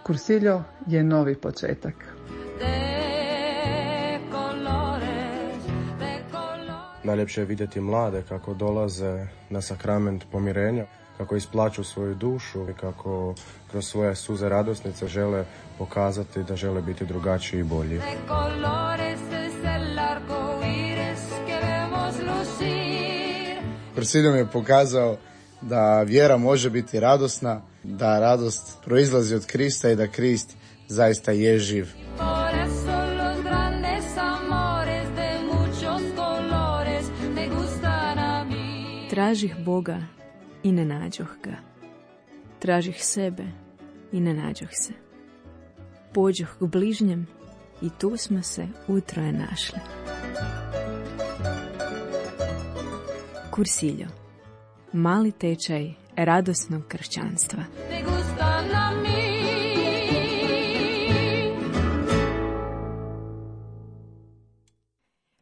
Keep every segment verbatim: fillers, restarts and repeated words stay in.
Cursillo je novi početak. Najljepše je vidjeti mlade kako dolaze na sakrament pomirenja, kako isplaću svoju dušu i kako kroz svoje suze radosnice žele pokazati da žele biti drugačiji i bolji. Cursillo mi je pokazao da vjera može biti radosna, da radost proizlazi od Krista i da Krist zaista je živ. Tražih Boga i ne nađoh ga. Tražih sebe i ne nađoh se. Pođoh k bližnjem i tu smo se utroje našli. Cursillo. Mali tečaj radosnog kršćanstva.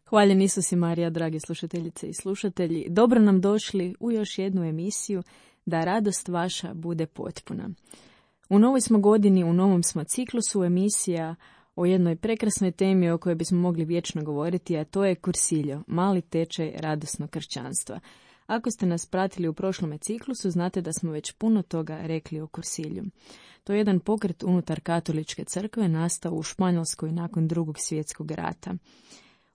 Hvaljen Isus i Marija, dragi slušateljice i slušatelji. Dobro nam došli u još jednu emisiju Da radost vaša bude potpuna. U novoj smo godini, u novom smo ciklusu emisija o jednoj prekrasnoj temi o kojoj bismo mogli vječno govoriti, a to je Cursillo, mali tečaj radosnog kršćanstva. Ako ste nas pratili u prošlome ciklusu, znate da smo već puno toga rekli o Cursillu. To je jedan pokret unutar katoličke crkve nastao u Španjolskoj nakon drugog svjetskog rata.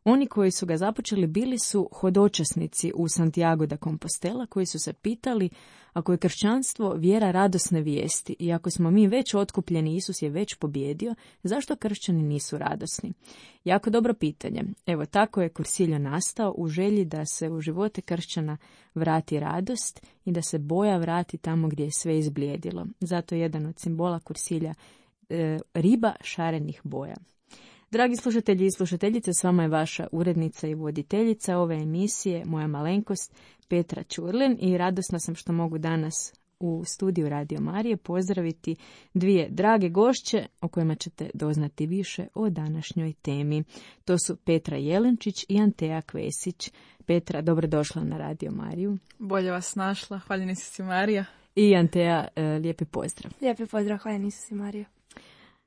Oni koji su ga započeli bili su hodočasnici u Santiago de Compostela koji su se pitali ako je kršćanstvo vjera radosne vijesti i ako smo mi već otkupljeni, Isus je već pobjedio, zašto kršćani nisu radosni? Jako dobro pitanje. Evo, tako je Cursillo nastao u želji da se u živote kršćana vrati radost i da se boja vrati tamo gdje je sve izblijedilo. Zato je jedan od simbola Cursilla e, riba šarenih boja. Dragi slušatelji i slušateljice, s vama je vaša urednica i voditeljica ove emisije, moja malenkost Petra Ćurlin, i radosna sam što mogu danas u studiju Radio Marije pozdraviti dvije drage gošće o kojima ćete doznati više o današnjoj temi. To su Petra Jelenčić i Antea Kvesić. Petra, dobrodošla na Radio Mariju. Bolje vas našla, hvaljen Isus i Marija. I Antea, lijepi pozdrav. Lijepi pozdrav, hvaljen Isus i Marija.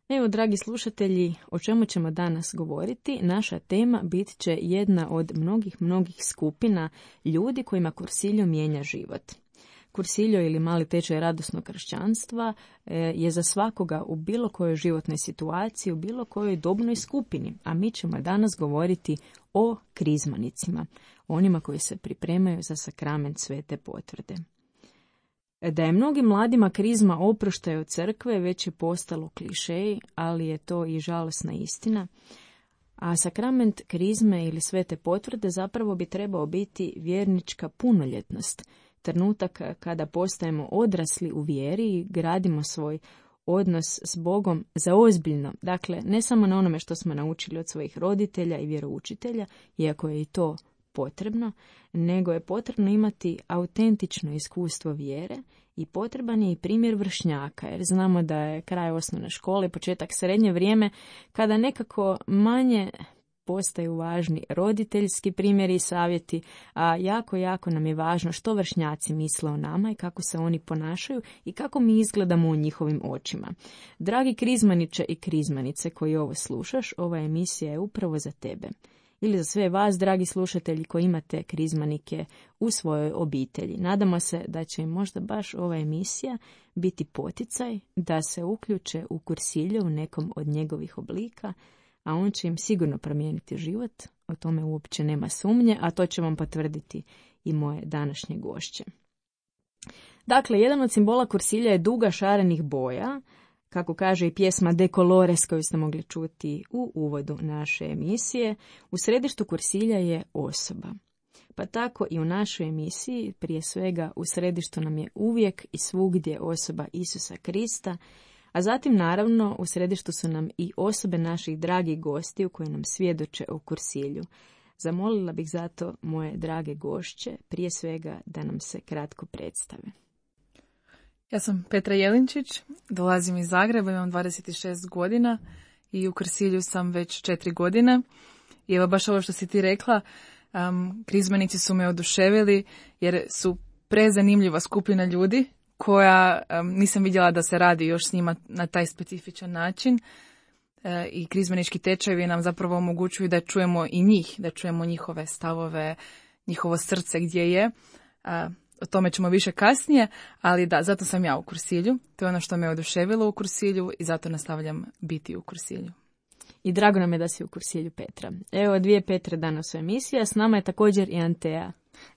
Evo, dragi slušatelji, o čemu ćemo danas govoriti? Naša tema bit će jedna od mnogih, mnogih skupina ljudi kojima Cursillo mijenja život. Cursillo ili mali tečaj radosnog kršćanstva je za svakoga u bilo kojoj životnoj situaciji, u bilo kojoj dobnoj skupini, a mi ćemo danas govoriti o krizmanicima, onima koji se pripremaju za sakrament svete potvrde. Da je mnogim mladima krizma oproštaj od crkve već je postalo klišej, ali je to i žalosna istina. A sakrament krizme ili svete potvrde zapravo bi trebao biti vjernička punoljetnost, trenutak kada postajemo odrasli u vjeri i gradimo svoj odnos s Bogom za ozbiljno. Dakle, ne samo na onome što smo naučili od svojih roditelja i vjeroučitelja, iako je i to potrebno, nego je potrebno imati autentično iskustvo vjere i potreban je i primjer vršnjaka, jer znamo da je kraj osnovne škole, početak srednje vrijeme, kada nekako manje postaju važni roditeljski primjeri i savjeti, a jako, jako nam je važno što vršnjaci misle o nama i kako se oni ponašaju i kako mi izgledamo u njihovim očima. Dragi krizmaniče i krizmanice koji ovo slušaš, ova emisija je upravo za tebe. Ili za sve vas, dragi slušatelji, koji imate krizmanike u svojoj obitelji. Nadamo se da će im možda baš ova emisija biti poticaj da se uključe u Cursillo u nekom od njegovih oblika, a on će im sigurno promijeniti život, o tome uopće nema sumnje, a to će vam potvrditi i moje današnje gošće. Dakle, jedan od simbola Cursilla je duga šarenih boja, kako kaže i pjesma De Colores koju ste mogli čuti u uvodu naše emisije. U središtu Cursilla je osoba. Pa tako i u našoj emisiji, prije svega u središtu nam je uvijek i svugdje osoba Isusa Krista, a zatim naravno u središtu su nam i osobe naših dragih gostiju koji nam svjedoče o Cursillu. Zamolila bih zato moje drage gošće, prije svega da nam se kratko predstave. Ja sam Petra Jelinčić, dolazim iz Zagreba, imam dvadeset šest godina i u Cursillu sam već četiri godine. I evo baš ovo što si ti rekla, Um, krizmanici su me oduševili jer su prezanimljiva skupina ljudi koja um, nisam vidjela da se radi još s njima na taj specifičan način. E, I krizmanički tečajevi nam zapravo omogućuju da čujemo i njih, da čujemo njihove stavove, njihovo srce gdje je. A, o tome ćemo više kasnije, ali da, zato sam ja u Kursilju. To je ono što me oduševilo u Kursilju i zato nastavljam biti u Kursilju. I drago nam je da si u Kursilju, Petra. Evo dvije Petre danas u emisiji, a s nama je također i Antea.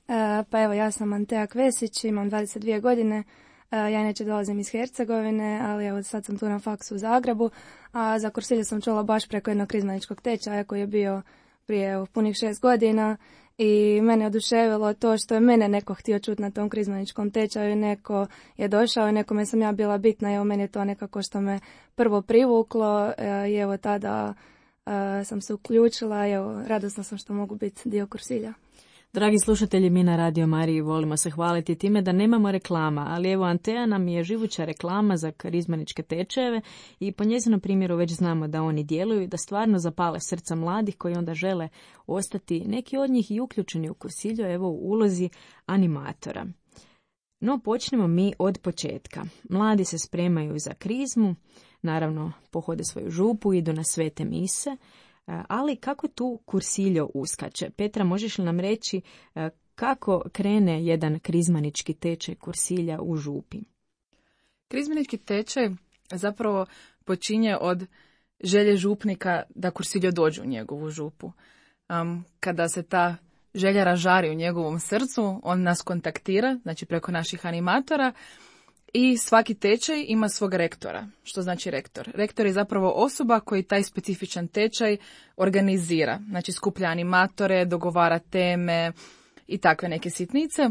E, pa evo, ja sam Antea Kvesić, imam dvadeset dvije godine. E, ja inače dolazim iz Hercegovine, ali evo sad sam tu na faksu u Zagrebu. A za Kursilju sam čula baš preko jednog krizmaničkog tečaja koji je bio prije evo, punih šest godina. I mene oduševilo to što je mene neko htio čuti na tom krizmaničkom tečaju, neko je došao i nekome sam ja bila bitna, evo meni je to nekako što me prvo privuklo i evo tada sam se uključila i evo radosna sam što mogu biti dio Kursilja. Dragi slušatelji, mi na Radio Mariji volimo se hvaliti time da nemamo reklama, ali evo Antea nam je živuća reklama za karizmaničke tečajeve i po njezinom primjeru već znamo da oni djeluju i da stvarno zapale srca mladih koji onda žele ostati, neki od njih i uključeni u Kursilju, evo u ulozi animatora. No počnemo mi od početka. Mladi se spremaju za krizmu, naravno pohode svoju župu, idu na svete mise. Ali kako tu Kursiljo uskače? Petra, možeš li nam reći kako krene jedan krizmanički tečaj Kursilja u župi? Krizmanički tečaj zapravo počinje od želje župnika da Kursiljo dođe u njegovu župu. Um, kada se ta želja ražari u njegovom srcu, on nas kontaktira, znači preko naših animatora, i svaki tečaj ima svog rektora. Što znači rektor? Rektor je zapravo osoba koji taj specifičan tečaj organizira. Znači skuplja animatore, dogovara teme i takve neke sitnice.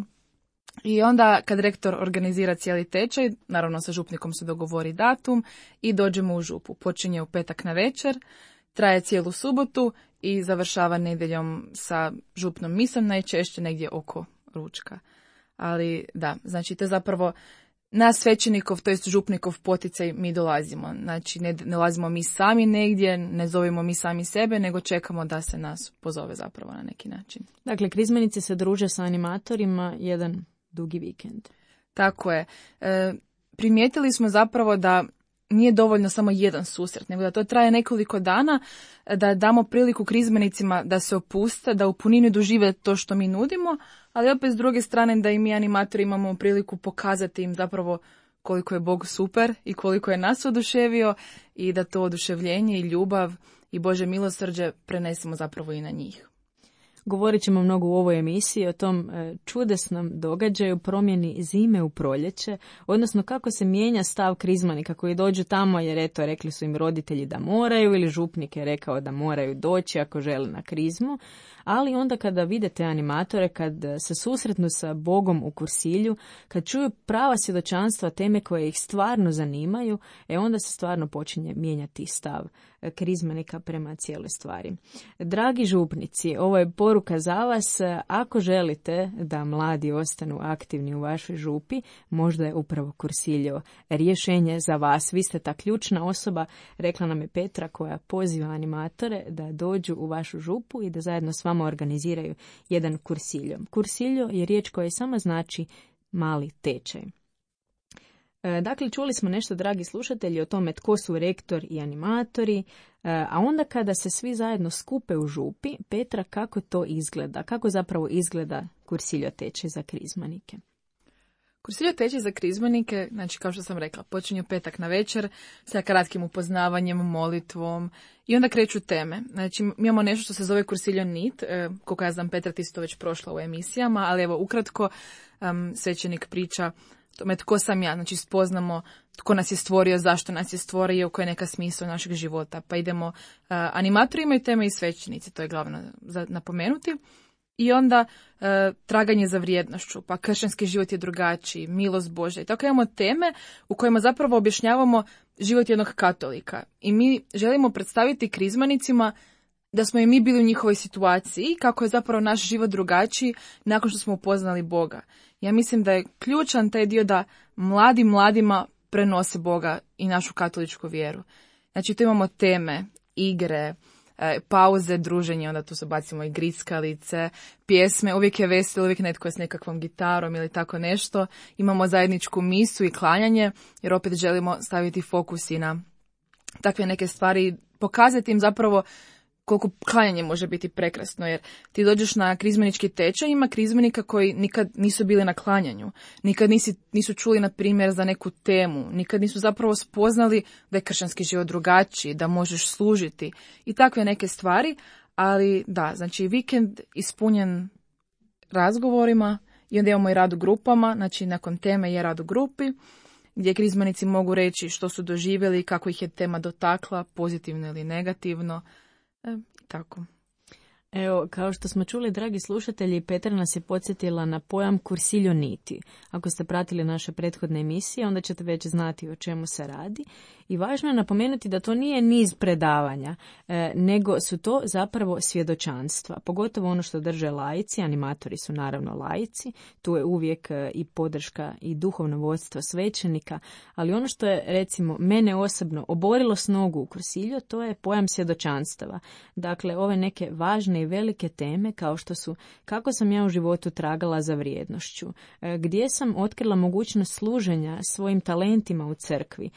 I onda kad rektor organizira cijeli tečaj, naravno sa župnikom se dogovori datum i dođemo u župu. Počinje u petak na večer, traje cijelu subotu i završava nedjeljom sa župnom misom, najčešće negdje oko ručka. Ali da, znači to je zapravo na svećenikov, to jest župnikov poticaj mi dolazimo. Znači ne, ne dolazimo mi sami negdje, ne zovemo mi sami sebe, nego čekamo da se nas pozove zapravo na neki način. Dakle, krizmanici se druže sa animatorima jedan dugi vikend. Tako je. E, primijetili smo zapravo da nije dovoljno samo jedan susret, nego da to traje nekoliko dana, da damo priliku krizmanicima da se opuste, da u punini dožive to što mi nudimo, ali opet s druge strane da i mi animatori imamo priliku pokazati im zapravo koliko je Bog super i koliko je nas oduševio i da to oduševljenje i ljubav i Bože milosrđe prenesemo zapravo i na njih. Govorit ćemo mnogo u ovoj emisiji o tom čudesnom događaju, promjeni zime u proljeće, odnosno kako se mijenja stav krizmanika koji dođu tamo jer eto rekli su im roditelji da moraju ili župnik je rekao da moraju doći ako žele na krizmu, ali onda kada vidite animatore, kad se susretnu sa Bogom u Kursilju, kad čuju prava svjedočanstva, teme koje ih stvarno zanimaju, e onda se stvarno počinje mijenjati stav krizmanika prema cijeloj stvari. Dragi župnici, ovo je poruka za vas. Ako želite da mladi ostanu aktivni u vašoj župi, možda je upravo Kursiljo rješenje za vas. Vi ste ta ključna osoba, rekla nam je Petra, koja poziva animatore da dođu u vašu župu i da zajedno s vama organiziraju jedan Kursiljo. Kursiljo je riječ koja sama znači mali tečaj. Dakle, čuli smo nešto, dragi slušatelji, o tome tko su rektor i animatori, a onda kada se svi zajedno skupe u župi, Petra, kako to izgleda? Kako zapravo izgleda Kursiljo tečaj za krizmanike? Kursiljo tečaj za krizmanike, znači kao što sam rekla, počinje u petak na večer sa kratkim upoznavanjem, molitvom i onda kreću teme. Znači mi imamo nešto što se zove Kursiljo nit, e, koliko ja znam Petra ti si to već prošla u emisijama, ali evo ukratko um, svećenik priča tome tko sam ja, znači spoznamo tko nas je stvorio, zašto nas je stvorio, koja je neka smisao našeg života. Pa idemo, uh, animatori imaju teme i svećenici, to je glavno za napomenuti. I onda uh, traganje za vrijednošću, pa kršćanski život je drugačiji, milost Božja. I tako imamo teme u kojima zapravo objašnjavamo život jednog katolika. I mi želimo predstaviti krizmanicima da smo i mi bili u njihovoj situaciji, kako je zapravo naš život drugačiji nakon što smo upoznali Boga. Ja mislim da je ključan taj dio da mladi mladima prenose Boga i našu katoličku vjeru. Znači tu imamo teme, igre, e, pauze, druženje, onda tu se bacimo i grickalice, pjesme, uvijek je veselo, uvijek netko je s nekakvom gitarom ili tako nešto. Imamo zajedničku misu i klanjanje, jer opet želimo staviti fokus i na takve neke stvari, pokazati im zapravo koliko klanjanje može biti prekrasno, jer ti dođeš na krizmenički tečaj, ima krizmenika koji nikad nisu bili na klanjanju, nikad nisi, nisu čuli, na primjer, za neku temu, nikad nisu zapravo spoznali da je kršćanski život drugačiji, da možeš služiti i takve neke stvari, ali da, znači vikend ispunjen razgovorima i onda imamo i rad u grupama, znači nakon teme je rad u grupi, gdje krizmenici mogu reći što su doživjeli, kako ih je tema dotakla, pozitivno ili negativno. E, tako. Evo, kao što smo čuli, dragi slušatelji, Petra nas je podsjetila na pojam cursilio niti. Ako ste pratili naše prethodne emisije, onda ćete već znati o čemu se radi. I važno je napomenuti da to nije niz predavanja, e, nego su to zapravo svjedočanstva. Pogotovo ono što drže laici, animatori su naravno laici, tu je uvijek e, i podrška i duhovno vodstvo svećenika, ali ono što je, recimo, mene osobno oborilo s nogu u cursilio, to je pojam svjedočanstava. Dakle, ove neke važne i velike teme kao što su kako sam ja u životu tragala za vrijednošću, e, gdje sam otkrila mogućnost služenja svojim talentima u crkvi,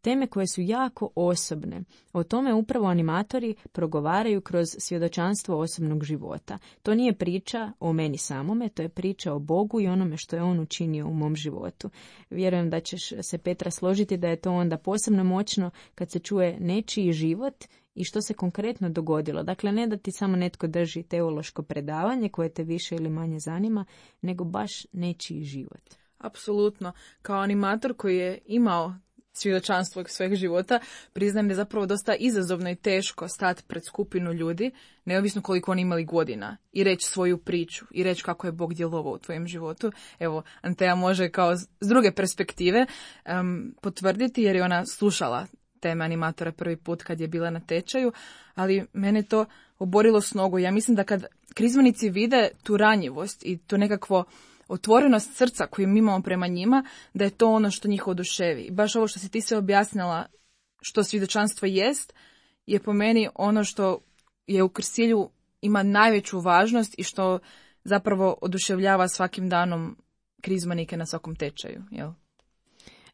teme koje su jako osobne. O tome upravo animatori progovaraju kroz svjedočanstvo osobnog života. To nije priča o meni samome, to je priča o Bogu i onome što je on učinio u mom životu. Vjerujem da ćeš se, Petra, složiti da je to onda posebno moćno kad se čuje nečiji život i što se konkretno dogodilo. Dakle, ne da ti samo netko drži teološko predavanje koje te više ili manje zanima, nego baš nečiji život. Apsolutno. Kao animator koji je imao svjedočanstvo svojeg života, priznajem da je zapravo dosta izazovno i teško stati pred skupinu ljudi, neovisno koliko oni imali godina, i reći svoju priču, i reći kako je Bog djelovao u tvojem životu. Evo, Antea može kao s druge perspektive um, potvrditi, jer je ona slušala teme animatora prvi put kad je bila na tečaju, ali mene to oborilo s nogu. Ja mislim da kad krizmenici vide tu ranjivost i to nekakvo otvorenost srca koju mi imamo prema njima, da je to ono što njih oduševi. I baš ovo što si ti sve objasnila, što svjedočanstvo jest, je po meni ono što je u cursilju ima najveću važnost i što zapravo oduševljava svakim danom krizmanike na svakom tečaju, jel?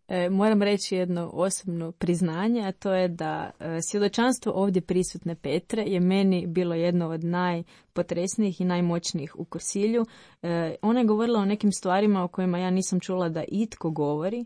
E, moram reći jedno osobno priznanje, a to je da e, svjedočanstvo ovdje prisutne Petre je meni bilo jedno od najpotresnijih i najmoćnijih u cursilju. E, ona je govorila o nekim stvarima o kojima ja nisam čula da itko govori,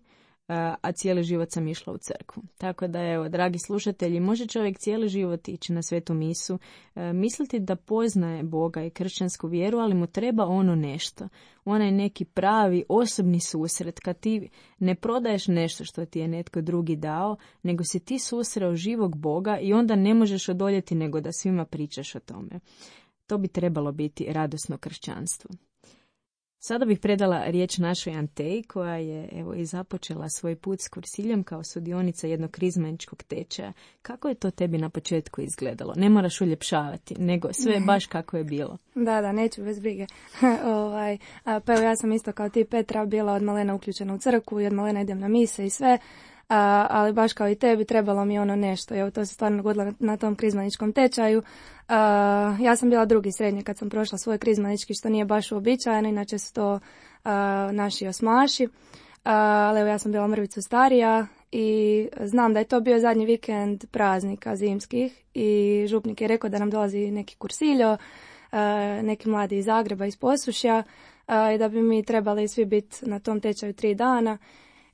a cijeli život sam išla u crkvu. Tako da, evo, dragi slušatelji, može čovjek cijeli život ići na svetu misu, e, misliti da poznaje Boga i kršćansku vjeru, ali mu treba ono nešto. Onaj neki pravi osobni susret, kad ti ne prodaješ nešto što ti je netko drugi dao, nego si ti susreo živog Boga i onda ne možeš odoljeti nego da svima pričaš o tome. To bi trebalo biti radosno kršćanstvo. Sada bih predala riječ našoj Anteji, koja je, evo, i započela svoj put s cursiljem kao sudionica jednog krizmeničkog tečaja. Kako je to tebi na početku izgledalo? Ne moraš uljepšavati, nego sve je baš kako je bilo. Da, da, neću bez brige. ovaj, a, pa evo, ja sam isto kao ti, Petra, bila od malena uključena u crkvu i od malena idem na mise i sve. A, ali baš kao i tebi trebalo mi ono nešto. Evo, to se stvarno dogodilo na, na tom krizmaničkom tečaju. A, ja sam bila drugi srednje kad sam prošla svoj krizmanički, što nije baš uobičajeno, inače su to a, naši osmaši. A, ali evo, ja sam bila mrvicu starija i znam da je to bio zadnji vikend praznika zimskih i župnik je rekao da nam dolazi neki cursilio, a, neki mladi iz Zagreba, iz Posušja, a, i da bi mi trebali svi biti na tom tečaju tri dana.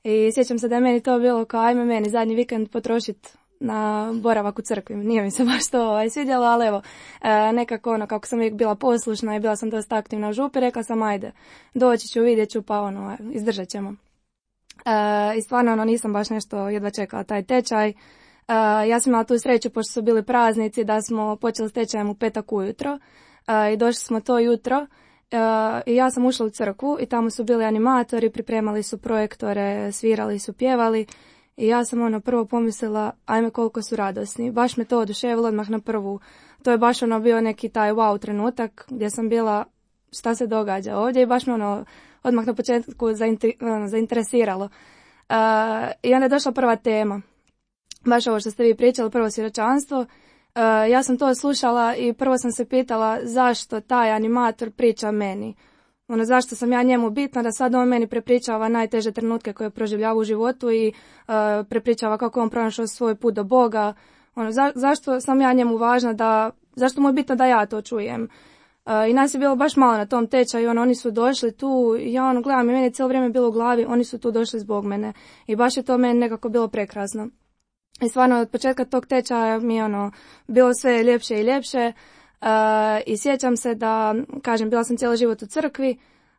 I sjećam se da je meni to bilo kao ajme meni zadnji vikend potrošiti na boravak u crkvi. Nije mi se baš to ovaj, svidjelo, ali evo, e, nekako ono, kako sam uvijek bila poslušna i bila sam dosta aktivna u župi, rekla sam ajde, doći ću, vidjet ću, pa ono, izdržat ćemo. E, I stvarno ono, nisam baš nešto jedva čekala taj tečaj. E, ja sam imala tu sreću, pošto su bili praznici, da smo počeli s tečajem u petak ujutro e, i došli smo to jutro. Uh, i ja sam ušla u crkvu i tamo su bili animatori, pripremali su projektore, svirali su, pjevali i ja sam ono prvo pomislila ajme koliko su radosni, baš me to oduševilo odmah na prvu. To je baš ono bio neki taj wow trenutak gdje sam bila šta se događa ovdje i baš me ono odmah na početku zainter- zainteresiralo. Uh, I onda je došla prva tema, baš ovo što ste vi pričali, prvo svjedočanstvo. ja sam to slušala i prvo sam se pitala zašto taj animator priča meni. Ono, zašto sam ja njemu bitna da sad on meni prepričava najteže trenutke koje proživljava u životu i uh, prepričava kako on pronašao svoj put do Boga. Ono, za, zašto sam ja njemu važna da, zašto mu je bitno da ja to čujem. Uh, I nas je bilo baš malo na tom tečaju, ono, oni su došli tu i ja ono gledam i meni je cijelo vrijeme bilo u glavi, oni su tu došli zbog mene i baš je to meni nekako bilo prekrasno. I stvarno od početka tog tečaja mi je ono, bilo sve ljepše i ljepše. Uh, i sjećam se da, kažem, bila sam cijeli život u crkvi,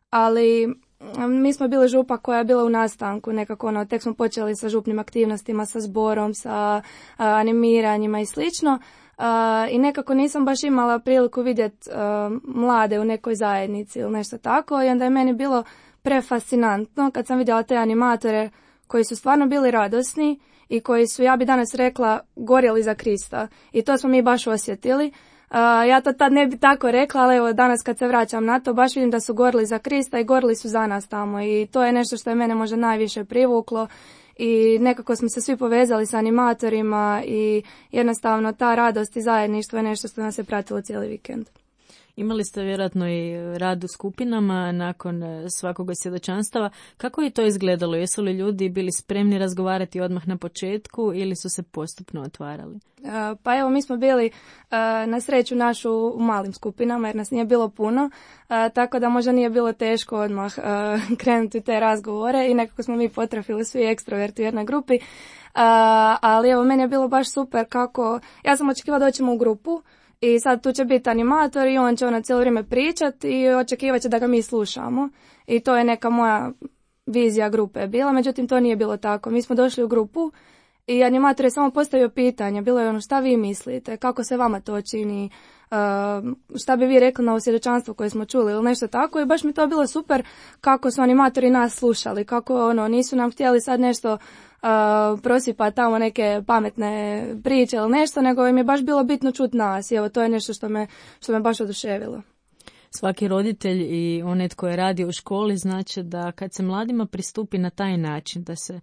ali um, mi smo bili župa koja je bila u nastanku, nekako ono, tek smo počeli sa župnim aktivnostima, sa zborom, sa uh, animiranjima i slično. Uh, I nekako nisam baš imala priliku vidjeti uh, mlade u nekoj zajednici ili nešto tako i onda je meni bilo prefascinantno kad sam vidjela te animatore koji su stvarno bili radosni i koji su, ja bi danas rekla, gorjeli za Krista. I to smo mi baš osjetili. Uh, ja to tad ne bi tako rekla, ali evo danas kad se vraćam na to, baš vidim da su gorili za Krista i gorili su za nas tamo. I to je nešto što je mene možda najviše privuklo. I nekako smo se svi povezali sa animatorima i jednostavno ta radost i zajedništvo je nešto što nas je pratilo cijeli vikend. Imali ste vjerojatno i rad u skupinama nakon svakog svjedočanstava. Kako je to izgledalo? Jesu li ljudi bili spremni razgovarati odmah na početku ili su se postupno otvarali? Uh, pa evo, mi smo bili uh, na sreću našu u malim skupinama jer nas nije bilo puno, uh, tako da možda nije bilo teško odmah uh, krenuti u te razgovore i nekako smo mi potrafili svi ekstroverti u jednoj grupi. Uh, ali evo, meni je bilo baš super kako, ja sam očekivala da ćemo u grupu. I sad tu će biti animator i on će ono cijelo vrijeme pričati i očekivat će da ga mi slušamo. I to je neka moja vizija grupe bila, međutim to nije bilo tako. Mi smo došli u grupu i animator je samo postavio pitanje. Bilo je ono, šta vi mislite, kako se vama to čini, uh, šta bi vi rekli na ovo svjedočanstvo koje smo čuli ili nešto tako. I baš mi to bilo super kako su animatori nas slušali, kako ono, nisu nam htjeli sad nešto Uh, prosipa tamo neke pametne priče ili nešto, nego im je baš bilo bitno čuti nas i evo to je nešto što me, što me baš oduševilo. Svaki roditelj i onaj tko je radio u školi znači da kad se mladima pristupi na taj način, da se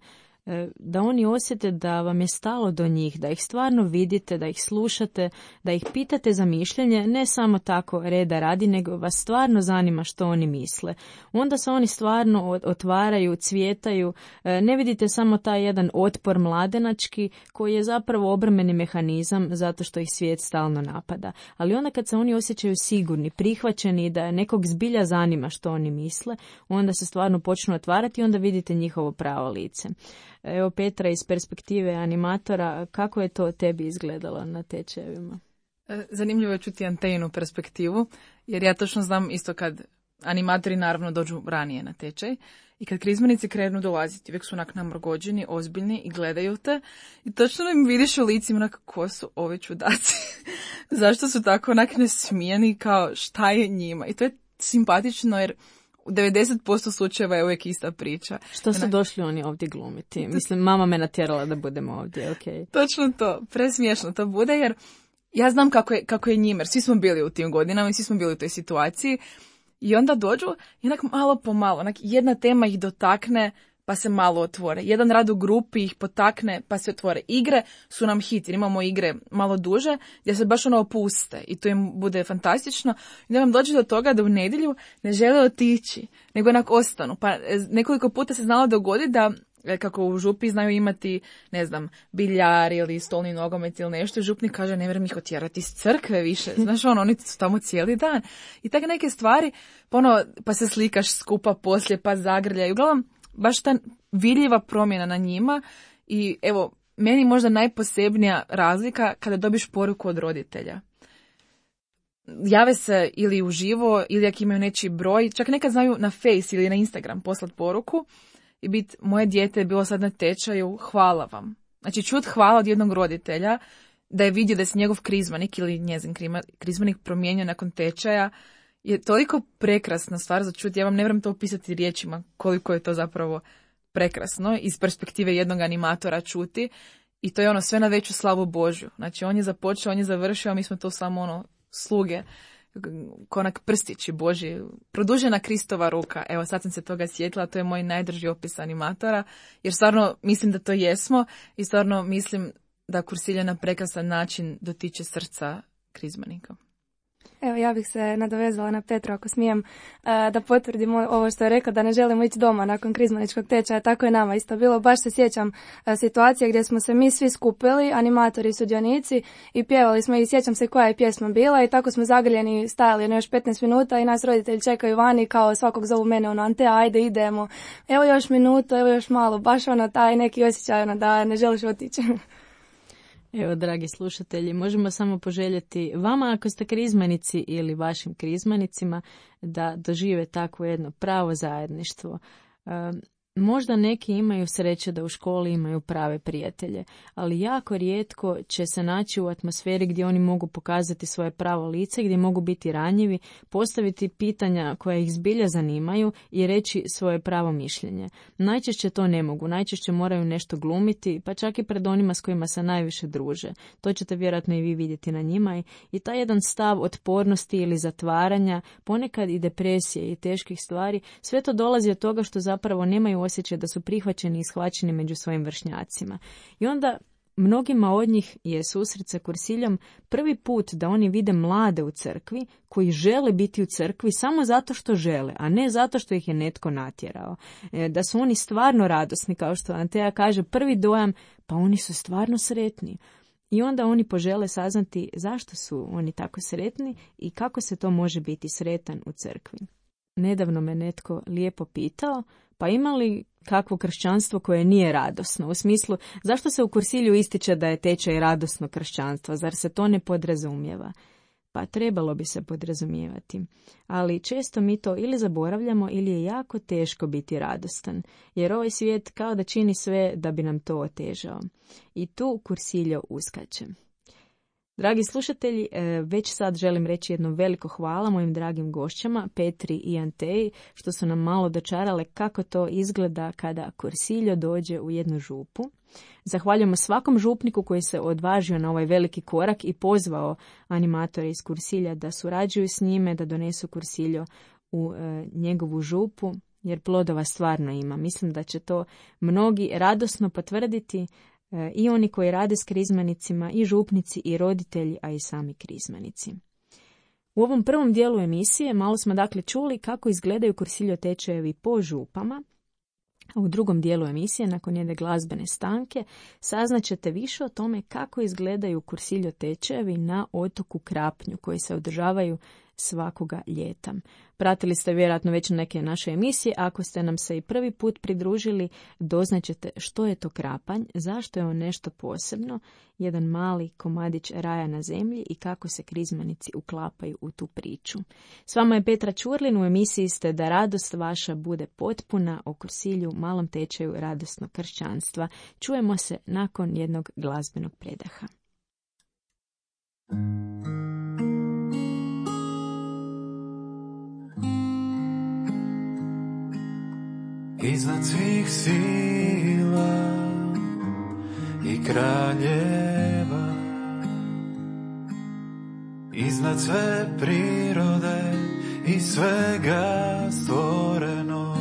da oni osjete da vam je stalo do njih, da ih stvarno vidite, da ih slušate, da ih pitate za mišljenje, ne samo tako reda radi, nego vas stvarno zanima što oni misle. Onda se oni stvarno otvaraju, cvjetaju, ne vidite samo taj jedan otpor mladenački koji je zapravo obrambeni mehanizam zato što ih svijet stalno napada. Ali onda kad se oni osjećaju sigurni, prihvaćeni, da nekog zbilja zanima što oni misle, onda se stvarno počnu otvarati i onda vidite njihovo pravo lice. Evo Petra, iz perspektive animatora, kako je to tebi izgledalo na tečajevima? Zanimljivo je čuti Antejinu perspektivu, jer ja točno znam isto kad animatori naravno dođu ranije na tečaj i kad krizmenici krenu dolaziti, uvijek su onak namrgođeni, ozbiljni i gledaju te i točno im vidiš u licima onak ko su ovi čudaci, zašto su tako onak nesmijeni, kao šta je njima, i to je simpatično jer u devedeset posto slučajeva je uvijek ista priča. Što su došli oni ovdje glumiti? Mislim, mama me natjerala da budemo ovdje, ok. Točno to, presmiješno to bude, jer ja znam kako je, kako je njima, jer svi smo bili u tim godinama i svi smo bili u toj situaciji i onda dođu i onak malo po malo, onak jedna tema ih dotakne pa se malo otvore. Jedan rad u grupi ih potakne pa se otvore. Igre su nam hit, jer imamo igre malo duže gdje se baš ono opuste i to im bude fantastično. I da vam dođe do toga da u nedjelju ne žele otići, nego onak ostanu. Pa nekoliko puta se znalo dogoditi da kako u župi znaju imati, ne znam, biljar ili stolni nogomet ili nešto, župnik kaže ne vjerujem ih otjerati iz crkve više, znaš ono, oni su tamo cijeli dan. I tako neke stvari, pa, ono, pa se slikaš skupa poslije, pa zagrljaju. Uglavnom, baš ta vidljiva promjena na njima i evo, meni možda najposebnija razlika kada dobiš poruku od roditelja. Jave se ili uživo, ili ako imaju nečiji broj, čak nekad znaju na Face ili na Instagram poslati poruku i bit, moje dijete je bilo sad na tečaju, hvala vam. Znači čut hvala od jednog roditelja da je vidio da se njegov krizmanik ili njezin krizmanik promijenio nakon tečaja je toliko prekrasna stvar za čuti. Ja vam ne vjerujem to opisati riječima koliko je to zapravo prekrasno iz perspektive jednog animatora čuti i to je ono sve na veću slavu Božju. Znači on je započeo, on je završio, a mi smo to samo ono sluge, konak prstići Božji, produžena Kristova ruka. Evo sad sam se toga sjetila, to je moj najdrži opis animatora, jer stvarno mislim da to jesmo i stvarno mislim da Kursilja na prekrasan način dotiče srca krizmanika. Evo, ja bih se nadovezala na Petru, ako smijem, da potvrdim ovo što je rekao, da ne želimo ići doma nakon krizmaničkog tečaja. Tako je nama isto bilo. Baš se sjećam situacije gdje smo se mi svi skupili, animatori i sudionici, i pjevali smo, i sjećam se koja je pjesma bila, i tako smo zagrljeni stajali na još petnaest minuta i nas roditelji čekaju vani, kao svakog zovu mene, ono, Antea, ajde idemo, evo još minutu, evo još malo, baš ono taj neki osjećaj, ono, da ne želiš otići. Evo, dragi slušatelji, možemo samo poželjeti vama, ako ste krizmanici ili vašim krizmanicima, da dožive takvo jedno pravo zajedništvo. E, možda neki imaju sreće da u školi imaju prave prijatelje, ali jako rijetko će se naći u atmosferi gdje oni mogu pokazati svoje pravo lice, gdje mogu biti ranjivi, postaviti pitanja koja ih zbilja zanimaju i reći svoje pravo mišljenje. Najčešće to ne mogu, najčešće moraju nešto glumiti, pa čak i pred onima s kojima se najviše druže. To ćete vjerojatno i vi vidjeti na njima, i, i taj jedan stav otpornosti ili zatvaranja, ponekad i depresije i teških stvari, sve to dolazi od toga što zapravo nemaju osjećaj da su prihvaćeni i shvaćeni među svojim vršnjacima. I onda mnogima od njih je susret sa Kursiljom prvi put da oni vide mlade u crkvi koji žele biti u crkvi samo zato što žele, a ne zato što ih je netko natjerao. E, da su oni stvarno radosni, kao što Antea kaže, prvi dojam, pa oni su stvarno sretni. I onda oni požele saznati zašto su oni tako sretni i kako se to može biti sretan u crkvi. Nedavno me netko lijepo pitao, pa ima li kakvo kršćanstvo koje nije radosno? U smislu, zašto se u Kursilju ističe da je tečaj radosno kršćanstvo? Zar se to ne podrazumijeva? Pa trebalo bi se podrazumijevati. Ali često mi to ili zaboravljamo ili je jako teško biti radostan, jer ovaj svijet kao da čini sve da bi nam to otežao. I tu Kursiljo uskače. Dragi slušatelji, već sad želim reći jedno veliko hvala mojim dragim gošćama, Petri i Anteji, što su nam malo dočarale kako to izgleda kada Kursiljo dođe u jednu župu. Zahvaljujemo svakom župniku koji se odvažio na ovaj veliki korak i pozvao animatore iz Kursilja da surađuju s njime, da donesu Kursiljo u e, njegovu župu, jer plodova stvarno ima. Mislim da će to mnogi radosno potvrditi, i oni koji rade s krizmanicima, i župnici, i roditelji, a i sami krizmanici. U ovom prvom dijelu emisije malo smo dakle čuli kako izgledaju Kursiljo tečajevi po župama, a u drugom dijelu emisije, nakon jedne glazbene stanke, saznaćete više o tome kako izgledaju Kursiljo tečajevi na otoku Krapnju, koji se održavaju svakoga ljeta. Pratili ste vjerojatno već neke naše emisije, ako ste nam se i prvi put pridružili, doznaćete što je to Krapanj, zašto je on nešto posebno, jedan mali komadić raja na zemlji i kako se krizmanici uklapaju u tu priču. S vama je Petra Čurlin, u emisiji ste Da radost vaša bude potpuna, o Kursilju, malom tečaju radosnog kršćanstva. Čujemo se nakon jednog glazbenog predaha. Iznad svih sila i kraljeva, iznad sve prirode i svega stvorenog,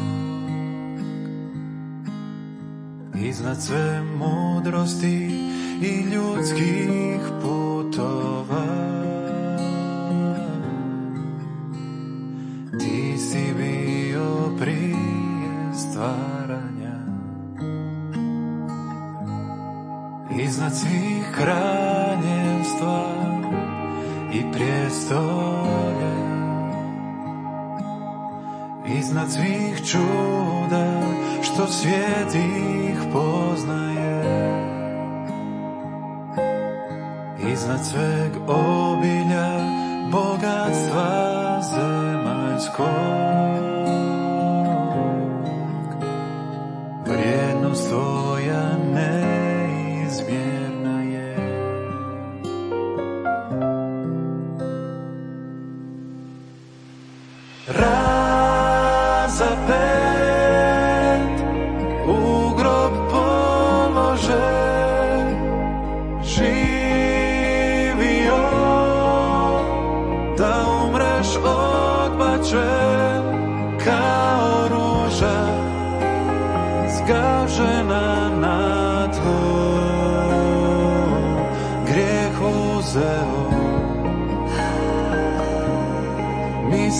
iznad sve mudrosti i ljudskih putova, ti si bio prije stvaranja. Iznad svih kraljevstva i prijestolja, iznad svih čuda što svijet ih poznaje, iznad sveg obilja bogatstva zemaljskog, vrijednost tvoja neizmjerna je. Razapet u grob položen, živio da umreš odbačen kao ruža zgažena na tlu.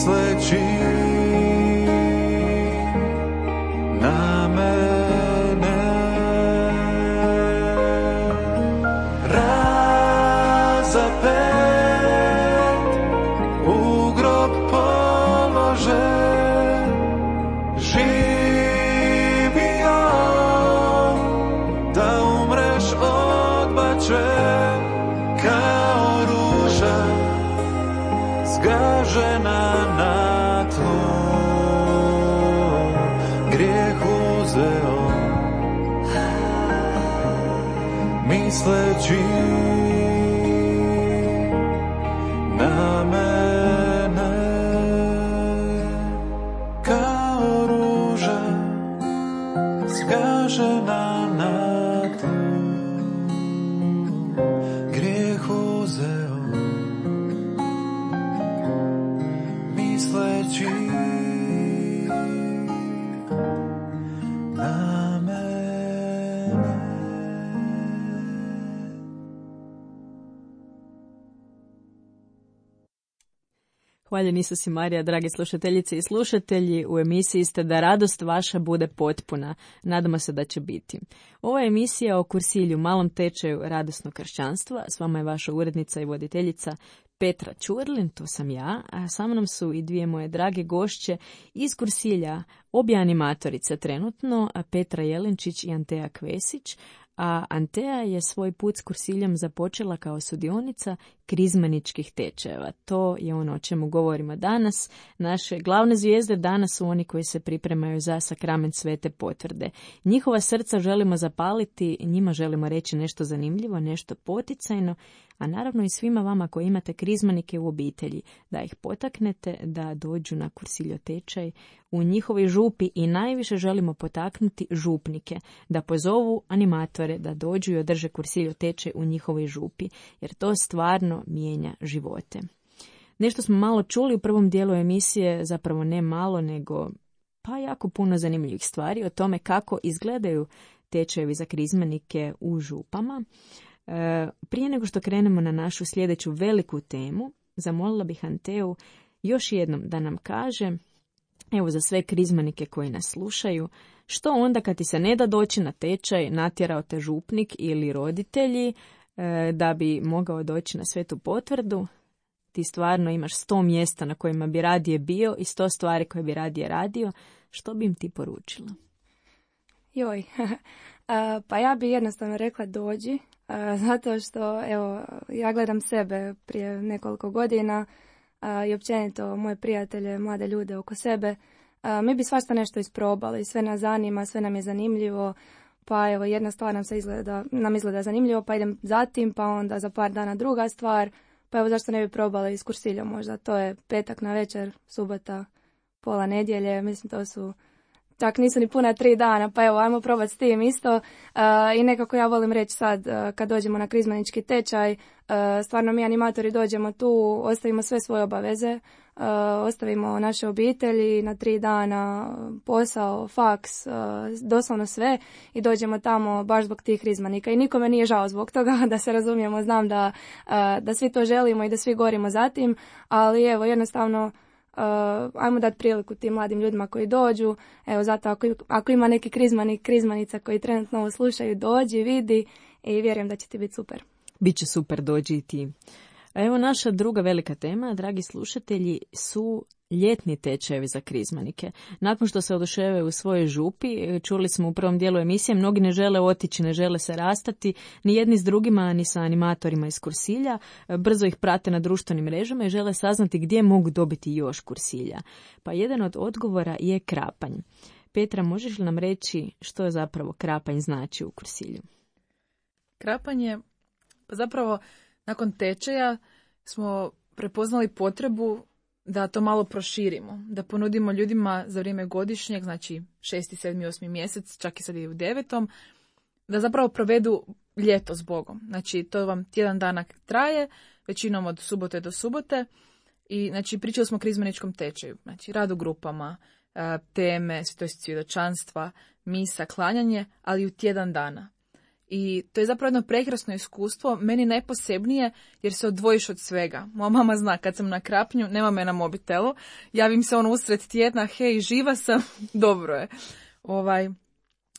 misleći na mene. Razapet u grob polože, živio da umreš odbačen kao ruža zgažena na tlu. Grijeh uzeo misleći na mene, kao ruža zgažena na tlu. Grijeh uzeo misleći na mene. Hvaljen Isus i Marija, dragi slušateljice i slušatelji, u emisiji ste Da radost vaša bude potpuna. Nadamo se da će biti. Ova je emisija o kursilju, malom tečaju radosnog kršćanstva. S vama je vaša urednica i voditeljica Petra Ćurlin, to sam ja, a sa mnom su i dvije moje drage gošće iz kursilja, obje animatorice trenutno, Petra Jelenčić i Antea Kvesić, a Antea je svoj put s kursiljom započela kao sudionica krizmaničkih tečajeva. To je ono o čemu govorimo danas. Naše glavne zvijezde danas su oni koji se pripremaju za sakrament svete potvrde. Njihova srca želimo zapaliti, njima želimo reći nešto zanimljivo, nešto poticajno, a naravno i svima vama koji imate krizmanike u obitelji, da ih potaknete da dođu na kursiljo tečaj u njihovoj župi i najviše želimo potaknuti župnike da pozovu animatore da dođu i održe kursiljo tečaj u njihovoj župi, jer to stvarno mijenja živote. Nešto smo malo čuli u prvom dijelu emisije, zapravo ne malo, nego pa jako puno zanimljivih stvari o tome kako izgledaju tečajevi za krizmanike u župama. E, prije nego što krenemo na našu sljedeću veliku temu, zamolila bih Anteu još jednom da nam kaže, evo za sve krizmanike koji nas slušaju, što onda kad ti se ne da doći na tečaj, natjerao te župnik ili roditelji e, da bi mogao doći na svetu potvrdu, ti stvarno imaš sto mjesta na kojima bi radije bio i sto stvari koje bi radije radio, što bi im ti poručila? Joj, pa ja bi jednostavno rekla dođi, zato što evo, ja gledam sebe prije nekoliko godina i općenito moje prijatelje, mlade ljude oko sebe. Mi bi svašta nešto isprobali, sve nas zanima, sve nam je zanimljivo, pa evo jedna stvar nam se izgleda, nam izgleda zanimljivo, pa idem zatim, pa onda za par dana druga stvar, pa evo zašto ne bi probali s kursiljom možda, to je petak na večer, subota, pola nedjelje, mislim to su, čak nisu ni puna tri dana, pa evo ajmo probati s tim isto. Uh, i nekako ja volim reći sad uh, kad dođemo na krizmanički tečaj, uh, stvarno mi animatori dođemo tu, ostavimo sve svoje obaveze, uh, ostavimo naše obitelji na tri dana, posao, faks, uh, doslovno sve i dođemo tamo baš zbog tih krizmanika i nikome nije žao zbog toga, da se razumijemo, znam da, uh, da svi to želimo i da svi gorimo za tim, ali evo jednostavno Uh, ajmo dati priliku tim mladim ljudima koji dođu. Evo zato ako, ako ima neki krizmanik, krizmanica koji trenutno ovo slušaju, dođi, vidi i vjerujem da će ti biti super. Biće super, dođi i ti. A evo naša druga velika tema, dragi slušatelji, su ljetni tečajevi za krizmanike. Nakon što se oduševaju u svojoj župi, čuli smo u prvom dijelu emisije, mnogi ne žele otići, ne žele se rastati, ni jedni s drugima, ni sa animatorima iz kursilja. Brzo ih prate na društvenim mrežama i žele saznati gdje mogu dobiti još kursilja. Pa jedan od odgovora je krapanj. Petra, možeš li nam reći što je zapravo krapanj znači u kursilju? Krapanj je, pa zapravo nakon tečaja smo prepoznali potrebu da to malo proširimo, da ponudimo ljudima za vrijeme godišnjeg, znači šesti, sedmi, osmi mjesec, čak i sad i u devetom, da zapravo provedu ljeto s Bogom. Znači to vam tjedan dana traje, većinom od subote do subote i znači pričali smo o krizmaničkom tečaju, znači rad u grupama, teme, to je svjedočanstva, misa, klanjanje, ali u tjedan dana. I to je zapravo jedno prekrasno iskustvo, meni najposebnije jer se odvojiš od svega. Moja mama zna, kad sam na Krapnju, nema me na mobitelu, javim se ono usred tjedna, hej, živa sam, dobro je. Ovaj,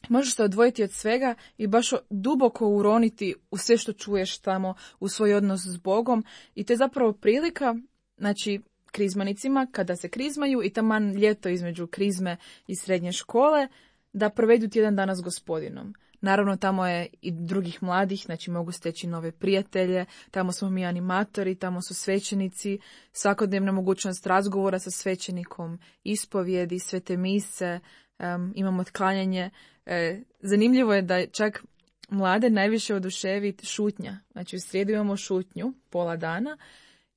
možeš se odvojiti od svega i baš duboko uroniti u sve što čuješ tamo, u svoj odnos s Bogom. I to je zapravo prilika, znači, krizmanicima, kada se krizmaju i taman ljeto između krizme i srednje škole, da provedu tjedan dana s Gospodinom. Naravno, tamo je i drugih mladih, znači mogu steći nove prijatelje, tamo smo mi animatori, tamo su svećenici, svakodnevna mogućnost razgovora sa svećenikom, ispovjedi, svete mise, um, imamo otklanjanje. E, zanimljivo je da čak mlade najviše oduševi šutnja. Znači u srijedu imamo šutnju, pola dana,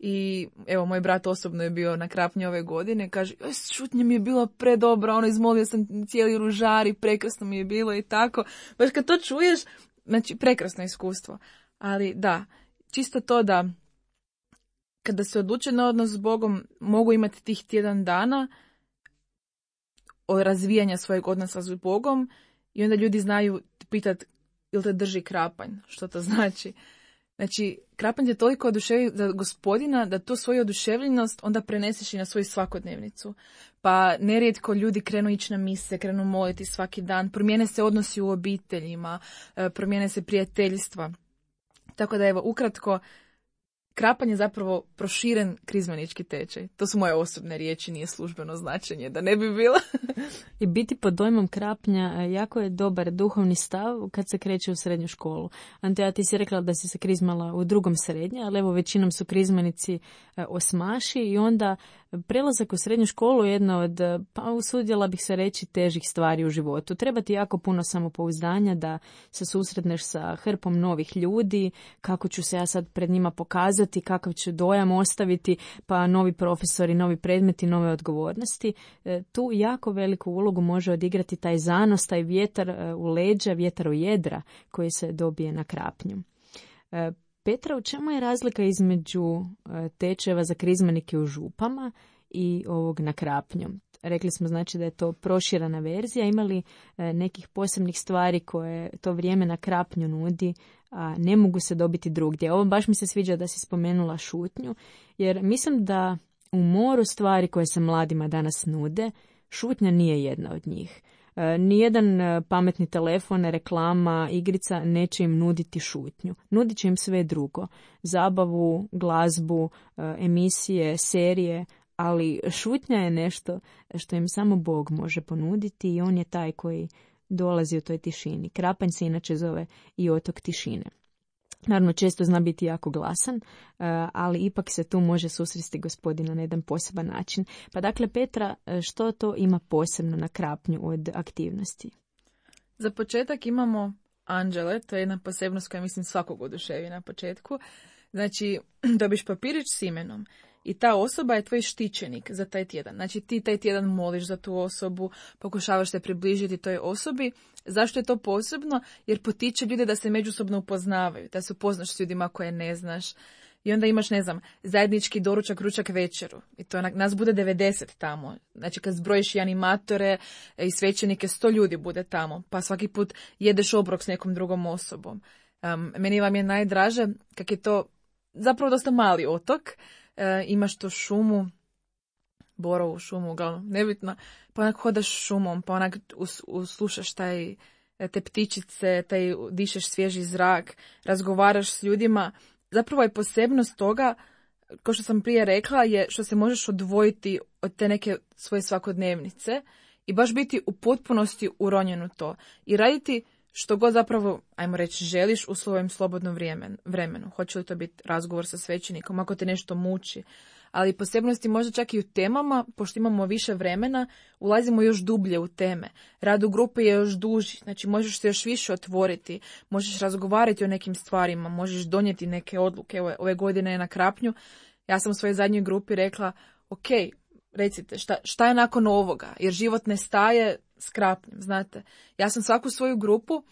i evo, moj brat osobno je bio na Krapnju ove godine, kaže, šutnja mi je bila predobra, ono, izmolio sam cijeli ružar i prekrasno mi je bilo i tako. Baš kad to čuješ, znači, prekrasno iskustvo. Ali da, čisto to da kada se odluče na odnos s Bogom, mogu imati tih tjedan dana o razvijanja svojeg odnosa s Bogom i onda ljudi znaju pitati, ili te drži krapanj, što to znači. Znači, krapanj je toliko oduševi za Gospodina da tu svoju oduševljenost onda preneseš i na svoju svakodnevnicu. Pa nerijetko ljudi krenu ići na mise, krenu moliti svaki dan, promijene se odnosi u obiteljima, promijene se prijateljstva. Tako da evo, ukratko, krapanj je zapravo proširen krizmanički tečaj. To su moje osobne riječi, nije službeno značenje, da ne bi bilo. I biti pod dojmom Krapnja jako je dobar duhovni stav kad se kreće u srednju školu. Anteja, ti si rekla da si se krizmala u drugom srednje, ali evo većinom su krizmanici osmaši i onda prelazak u srednju školu je jedna od, pa usudjela bih se reći, težih stvari u životu. Treba ti jako puno samopouzdanja da se susretneš sa hrpom novih ljudi, kako ću se ja sad pred njima pokazati, kakav ću dojam ostaviti, pa novi profesori, novi predmeti, nove odgovornosti. Tu jako veliku ulogu može odigrati taj zanos, taj vjetar u leđa, vjetar u jedra koji se dobije na Krapnju. Petra, u čemu je razlika između tečajeva za krizmanike u župama i ovog na Krapnju? Rekli smo znači da je to proširana verzija. Ima li nekih posebnih stvari koje to vrijeme na Krapnju nudi, a ne mogu se dobiti drugdje? Ovo baš mi se sviđa da si spomenula šutnju, jer mislim da u moru stvari koje se mladima danas nude, šutnja nije jedna od njih. Nijedan pametni telefon, reklama, igrica neće im nuditi šutnju. Nudit će im sve drugo. Zabavu, glazbu, emisije, serije, ali šutnja je nešto što im samo Bog može ponuditi i on je taj koji dolazi u toj tišini. Krapanj se inače zove i otok tišine. Naravno, često zna biti jako glasan, ali ipak se tu može susresti Gospodina na jedan poseban način. Pa dakle, Petra, što to ima posebno na Krapnju od aktivnosti? Za početak imamo anđele, to je jedna posebnost koja mislim svakog oduševi na početku. Znači, dobiš papirić s imenom i ta osoba je tvoj štićenik za taj tjedan. Znači, ti taj tjedan moliš za tu osobu, pokušavaš se približiti toj osobi. Zašto je to posebno? Jer potiče ljude da se međusobno upoznavaju, da se upoznaš s ljudima koje ne znaš. I onda imaš, ne znam, zajednički doručak, ručak, večeru. I to nas bude devedeset tamo. Znači, kad zbrojiš i animatore i svećenike, sto ljudi bude tamo. Pa svaki put jedeš obrok s nekom drugom osobom. Um, meni vam je najdraže kak je to zapravo dosta mali otok. E, imaš tu šumu, borovu šumu, uglavnom, nebitno, pa onak hodaš šumom, pa onak us, uslušaš taj, te ptičice, taj dišeš svježi zrak, razgovaraš s ljudima. Zapravo je posebnost toga, kao što sam prije rekla, je što se možeš odvojiti od te neke svoje svakodnevnice i baš biti u potpunosti uronjen u to i raditi što god zapravo, ajmo reći, želiš u svojem slobodnom vremenu. Hoće li to biti razgovor sa svećenikom, ako te nešto muči. Ali posebnosti možda čak i u temama, pošto imamo više vremena, ulazimo još dublje u teme. Rad u grupi je još duži, znači možeš se još više otvoriti, možeš razgovarati o nekim stvarima, možeš donijeti neke odluke. Evo, ove godine je na Krapnju, ja sam u svojoj zadnjoj grupi rekla, ok, recite, šta, šta je nakon ovoga? Jer život ne staje s Krapnjem, znate. Ja sam svaku svoju grupu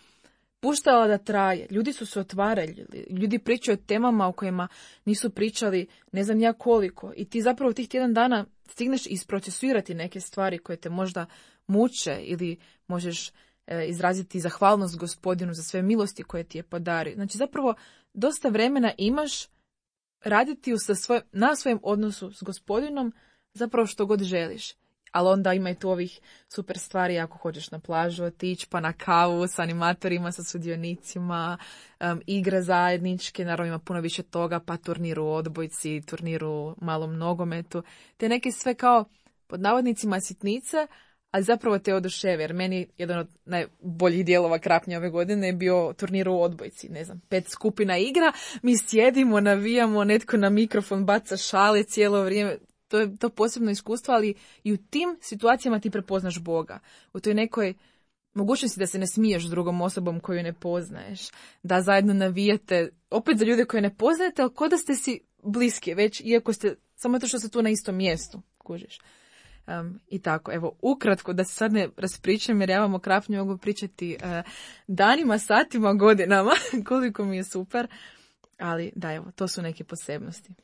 puštala da traje. Ljudi su se otvarali, ljudi pričaju o temama o kojima nisu pričali ne znam ja koliko. I ti zapravo tih tjedan dana stigneš isprocesuirati neke stvari koje te možda muče ili možeš e, izraziti zahvalnost Gospodinu za sve milosti koje ti je podario. Znači zapravo dosta vremena imaš raditi sa svoj, na svojem odnosu s Gospodinom zapravo što god želiš. Ali onda ima i tu ovih super stvari ako hoćeš na plažu otići, pa na kavu s animatorima, sa sudionicima, um, igre zajedničke, naravno ima puno više toga, pa turnir u odbojci, turnir u malom nogometu, te neke sve kao pod navodnicima sitnice, ali zapravo te oduševe, jer meni jedan od najboljih dijelova Krapnja ove godine je bio turnir u odbojci, ne znam, pet skupina igra, mi sjedimo, navijamo, netko na mikrofon baca šale cijelo vrijeme. To je to posebno iskustvo, ali i u tim situacijama ti prepoznaš Boga. U toj nekoj mogućnosti da se ne smiješ s drugom osobom koju ne poznaješ, da zajedno navijete, opet za ljude koje ne poznajete, ali ko da ste si bliski već, iako ste, samo to što ste tu na istom mjestu, kužiš. Um, I tako, evo, ukratko, da se sad ne raspričam, jer ja vam o Krapnju mogu pričati uh, danima, satima, godinama, koliko mi je super, ali da, evo, to su neke posebnosti.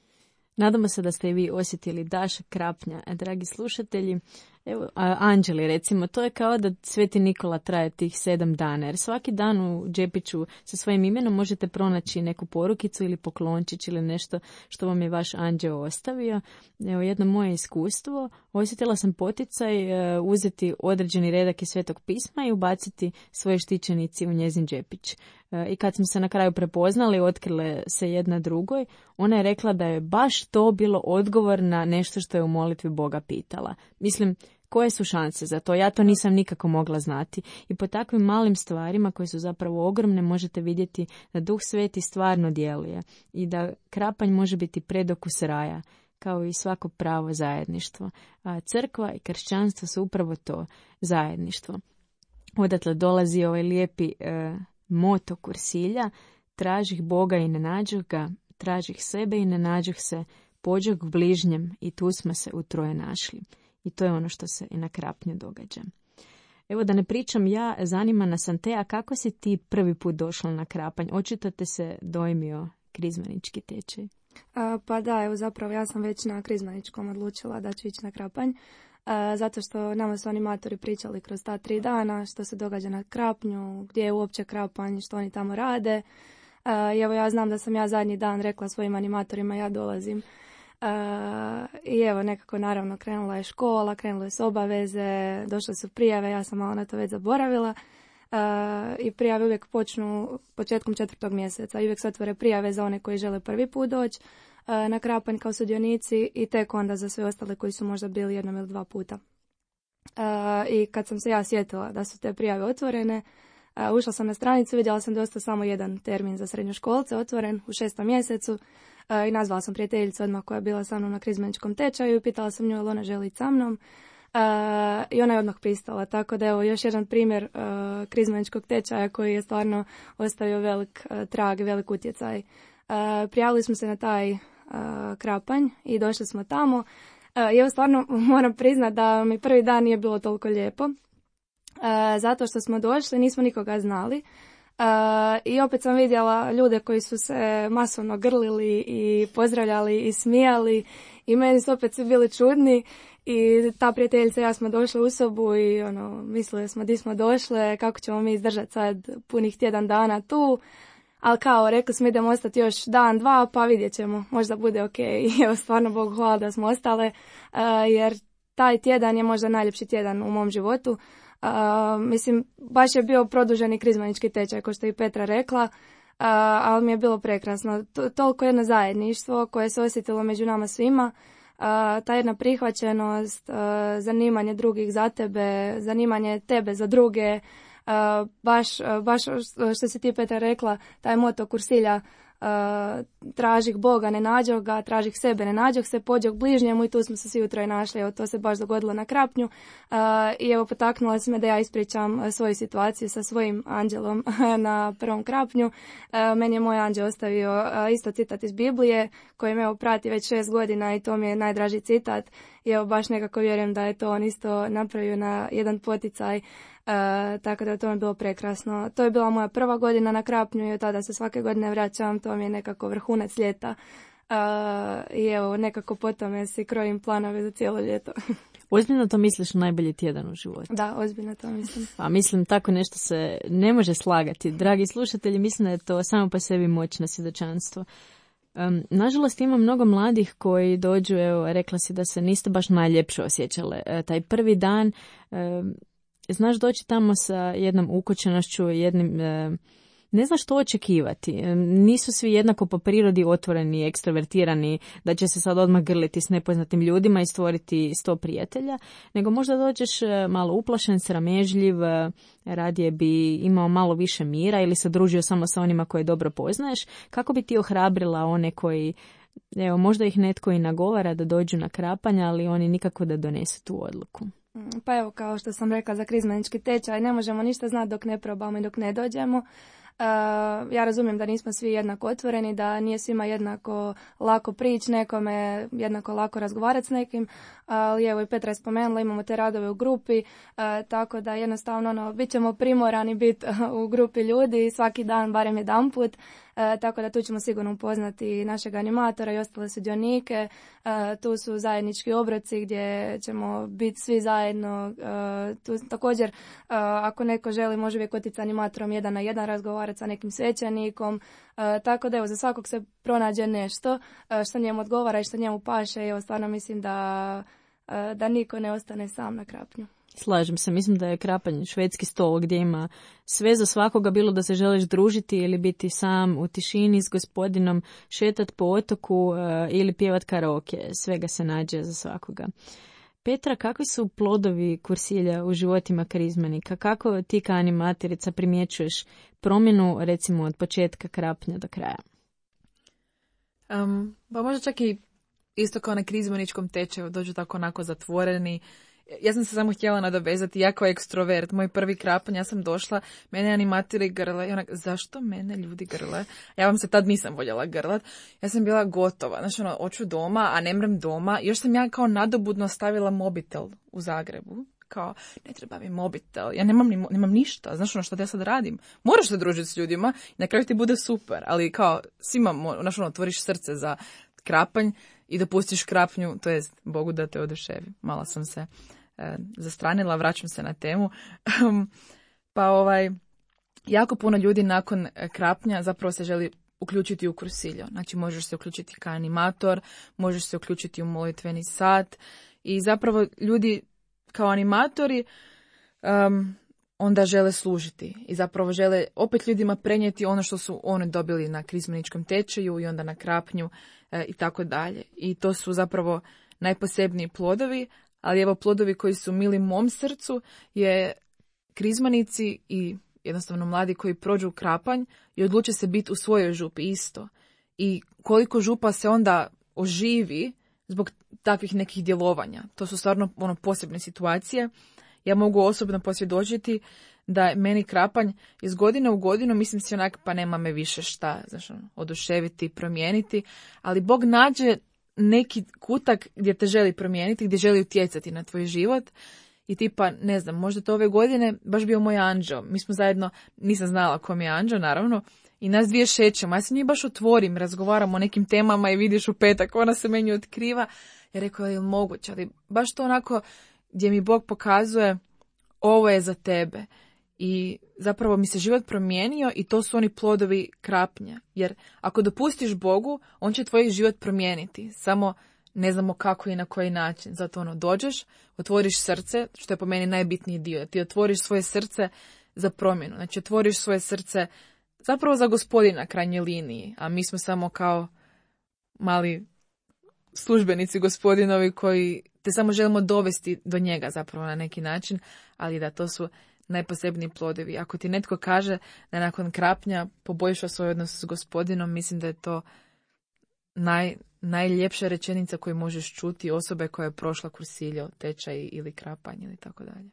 Nadamo se da ste i vi osjetili dašak Krapnja, dragi slušatelji. Evo, anđeli recimo, to je kao da Sveti Nikola traje tih sedam dana, jer svaki dan u džepiću sa svojim imenom možete pronaći neku porukicu ili poklončić ili nešto što vam je vaš anđeo ostavio. Evo, jedno moje iskustvo, osjetila sam poticaj uh, uzeti određeni redak iz Svetog pisma i ubaciti svoje štićenici u njezin džepić. Uh, I kad smo se na kraju prepoznali, otkrile se jedna drugoj, ona je rekla da je baš to bilo odgovor na nešto što je u molitvi Boga pitala. Mislim, koje su šanse za to? Ja to nisam nikako mogla znati. I po takvim malim stvarima koje su zapravo ogromne možete vidjeti da Duh Sveti stvarno djeluje i da Krapanj može biti predokus raja, kao i svako pravo zajedništvo. A crkva i kršćanstvo su upravo to, zajedništvo. Odatle dolazi ovaj lijepi e, moto Kursilja: tražih Boga i ne nađoh ga, tražih sebe i ne nađoh se, pođoh k bližnjem i tu smo se utroje našli. I to je ono što se i na Krapnju događa. Evo, da ne pričam ja, zanima nas Antea, kako si ti prvi put došla na Krapanj? Očito te se dojmio krizmanički tečaj. A, pa da, evo zapravo ja sam već na krizmaničkom odlučila da ću ići na Krapanj. A, zato što nama su animatori pričali kroz ta tri dana što se događa na Krapnju, gdje je uopće Krapanj, što oni tamo rade. A, i evo ja znam da sam ja zadnji dan rekla svojim animatorima ja dolazim. Uh, I evo nekako naravno krenula je škola, krenule su obaveze, došle su prijave, ja sam malo na to već zaboravila. Uh, I prijave uvijek počnu početkom četvrtog mjeseca i uvijek se otvore prijave za one koji žele prvi put doći uh, na Krapanj kao sudionici i tek onda za sve ostale koji su možda bili jednom ili dva puta. Uh, I kad sam se ja sjetila da su te prijave otvorene, uh, ušla sam na stranicu, vidjela sam dosta samo jedan termin za srednjoškolce otvoren u šestom mjesecu. I nazvala sam prijateljicu odmah koja je bila sa mnom na krizmaničkom tečaju i pitala sam nju jel ona želi sa mnom. Uh, I ona je odmah pristala, tako da evo još jedan primjer uh, krizmaničkog tečaja koji je stvarno ostavio velik uh, trag, velik utjecaj. Uh, prijavili smo se na taj uh, Krapanj i došli smo tamo. Uh, I evo stvarno moram priznati da mi prvi dan nije bilo toliko lijepo. Uh, zato što smo došli, nismo nikoga znali. Uh, I opet sam vidjela ljude koji su se masovno grlili i pozdravljali i smijali i meni su opet svi bili čudni i ta prijateljica i ja smo došli u sobu i ono, mislili smo di smo došle, kako ćemo mi izdržati sad punih tjedan dana tu, ali kao rekli smo idemo ostati još dan, dva pa vidjet ćemo, možda bude ok. I evo stvarno Bogu hvala da smo ostale uh, jer taj tjedan je možda najljepši tjedan u mom životu. Uh, mislim, baš je bio produženi krizmanički tečaj, kao što je i Petra rekla, uh, ali mi je bilo prekrasno. To, toliko jedno zajedništvo koje se osjetilo među nama svima, uh, ta jedna prihvaćenost, uh, zanimanje drugih za tebe, zanimanje tebe za druge, uh, baš, uh, baš što si ti Petra rekla, taj moto Kursilja, Uh, tražih Boga, ne nađoh ga, tražih sebe, ne nađoh se, pođoh bližnjemu i tu smo se svi utroje našli. Evo, to se baš dogodilo na Krapnju uh, i evo potaknula se me da ja ispričam svoju situaciju sa svojim anđelom na prvom Krapnju. Uh, meni je moj anđel ostavio uh, isto citat iz Biblije koji me evo prati već šest godina i to mi je najdraži citat i evo baš nekako vjerujem da je to on isto napravio na jedan poticaj. Uh, tako da to mi je bilo prekrasno. To je bila moja prva godina na Krapnju i od tada se svake godine vraćam, to mi je nekako vrhunac ljeta uh, i evo nekako po tome si krojim planove za cijelo ljeto. Ozbiljno to misliš najbolji tjedan u životu? Da, ozbiljno to mislim. Pa mislim, tako nešto se ne može slagati. Dragi slušatelji, mislim da je to samo po sebi moćno svjedočanstvo. Um, nažalost, ima mnogo mladih koji dođu, evo, rekla si da se niste baš najljepše osjećale. E, taj prvi dan, e, znaš doći tamo sa jednom ukočenošću, jednim... E, ne znaš što očekivati. Nisu svi jednako po prirodi otvoreni, ekstrovertirani, da će se sad odmah grliti s nepoznatim ljudima i stvoriti sto prijatelja, nego možda dođeš malo uplašen, sramežljiv, radije bi imao malo više mira ili se družio samo sa onima koje dobro poznaješ. Kako bi ti ohrabrila one koji, evo, možda ih netko i nagovara da dođu na krapanja, ali oni nikako da donesu tu odluku? Pa evo, kao što sam rekla za krizmenički tečaj, ne možemo ništa znati dok ne probamo i dok ne dođemo. Uh, ja razumijem da nismo svi jednako otvoreni, da nije svima jednako lako prići nekome, jednako lako razgovarati s nekim, ali evo i Petra je spomenula, imamo te radove u grupi, uh, tako da jednostavno ono, bit ćemo primorani biti u grupi ljudi svaki dan, barem jedanput, uh, tako da tu ćemo sigurno upoznati našeg animatora i ostale sudionike. Uh, tu su zajednički obroci gdje ćemo biti svi zajedno. Uh, tu također, uh, ako neko želi, može uvijek otići s animatorom jedan na jedan, razgovarati sa nekim svećenikom, uh, tako da evo, za svakog se pronađe nešto uh, što njemu odgovara i što njemu paše. Evo, stvarno mislim da, uh, da niko ne ostane sam na krapnju. Slažem se, mislim da je krapanje švedski stol gdje ima sve za svakoga, bilo da se želiš družiti ili biti sam u tišini s gospodinom, šetat po otoku uh, ili pjevat karaoke, svega se nađe za svakoga. Petra, kakvi su plodovi kursilja u životima krizmanika? Kako ti kao animatorica primjećuješ promjenu, recimo, od početka krapnja do kraja? Um, pa možda čak i isto kao na krizmaničkom tečaju, dođu tako onako zatvoreni. Ja sam se samo htjela nadovezati, ja kao ekstrovert, moj prvi krapanj, ja sam došla, mene animatori grle i onak, zašto mene ljudi grle? Ja vam se tad nisam voljela grlat, ja sam bila gotova, znači ono, hoću doma, a ne mrem doma, još sam ja kao nadobudno stavila mobitel u Zagrebu, kao, ne treba mi mobitel, ja nemam, ni, nemam ništa, znaš ono što ja sad radim, moraš se družiti s ljudima i na kraju ti bude super, ali kao, svima, znaš ono, otvoriš srce za krapanj i da pustiš krapnju, to jest Bogu da te oduševi. Malo sam se e, zastranila, vraćam se na temu. Pa ovaj, jako puno ljudi nakon krapnja zapravo se želi uključiti u kursiljo. Znači možeš se uključiti kao animator, možeš se uključiti u molitveni sat i zapravo ljudi kao animatori um, onda žele služiti i zapravo žele opet ljudima prenijeti ono što su oni dobili na krizmaničkom tečaju i onda na krapnju e, i tako dalje. I to su zapravo najposebniji plodovi, ali evo plodovi koji su mili mom srcu je krizmanici i jednostavno mladi koji prođu krapanj i odluče se biti u svojoj župi isto. I koliko župa se onda oživi zbog takvih nekih djelovanja. To su stvarno ono posebne situacije. Ja mogu osobno posvjedočiti da meni krapanj iz godine u godinu, mislim si onak, pa nema me više šta, znaš, oduševiti, promijeniti, ali Bog nađe neki kutak gdje te želi promijeniti, gdje želi utjecati na tvoj život i tipa, ne znam, možda to ove godine baš bio moj anđeo. Mi smo zajedno, nisam znala kom je anđeo, naravno, i nas dvije šećemo. Ja se njih baš otvorim, razgovaram o nekim temama i vidiš u petak, ona se meni otkriva. Ja rekao, je li moguće, ali baš to onako gdje mi Bog pokazuje ovo je za tebe. I zapravo mi se život promijenio i to su oni plodovi krapnja. Jer ako dopustiš Bogu, on će tvoj život promijeniti. Samo ne znamo kako i na koji način. Zato ono, dođeš, otvoriš srce, što je po meni najbitniji dio. Ti otvoriš svoje srce za promjenu. Znači otvoriš svoje srce zapravo za Gospodina krajnje liniji. A mi smo samo kao mali službenici Gospodinovi koji te samo želimo dovesti do njega zapravo na neki način, ali da to su najposebniji plodovi. Ako ti netko kaže da nakon krapnja poboljša svoj odnos s Gospodinom, mislim da je to naj, najljepša rečenica koju možeš čuti osobe koja je prošla kursiljo, tečaj ili krapanj ili tako dalje.